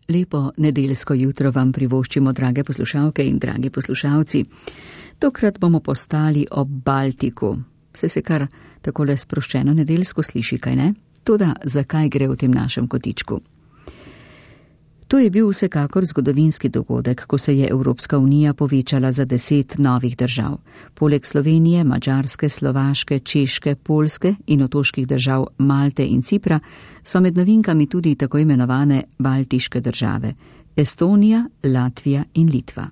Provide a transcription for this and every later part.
Lepo nedeljsko jutro vam privoščimo, drage poslušalke in dragi poslušalci. Tokrat bomo postali ob Baltiku. Se kar takole sproščeno nedeljsko sliši, kaj ne? Toda zakaj gre v tem našem kotičku? To je bil vsekakor zgodovinski dogodek, ko se je Evropska unija povečala za 10 novih držav. Poleg Slovenije, Madžarske, Slovaške, Češke, Poljske in otoških držav Malte in Cipra so med novinkami tudi tako imenovane baltiške države – Estonija, Latvija in Litva.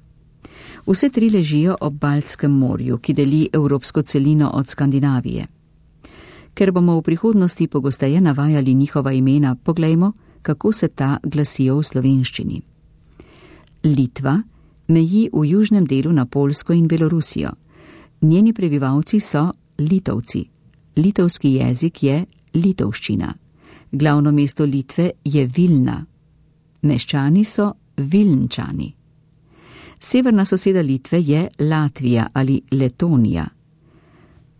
Vse 3 ležijo ob Baltskem morju, ki deli evropsko celino od Skandinavije. Ker bomo v prihodnosti pogosteje navajali njihova imena, poglejmo, kako se ta glasijo v slovenščini. Litva meji v južnem delu na Poljsko in Belorusijo. Njeni prebivalci so Litovci. Litovski jezik je litovščina. Glavno mesto Litve je Vilna. Meščani so Vilnčani. Severna soseda Litve je Latvija ali Letonija.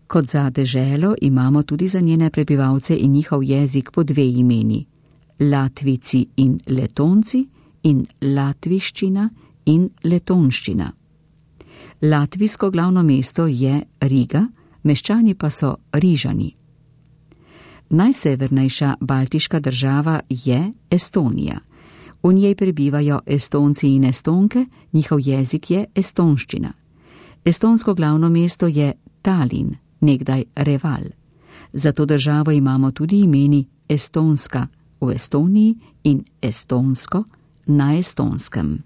Kot za deželo imamo tudi za njene prebivalce in njihov jezik po 2 imeni. Latvici in Letonci in latviščina in letonščina. Latvijsko glavno mesto je Riga, meščani pa so Rižani. Najsevernejša baltiška država je Estonija. V njej prebivajo Estonci in Estonke, njihov jezik je estonščina. Estonsko glavno mesto je Tallinn, nekdaj Reval. Za to državo imamo tudi imeni Estonska v Estoniji in estonsko na Estonskem.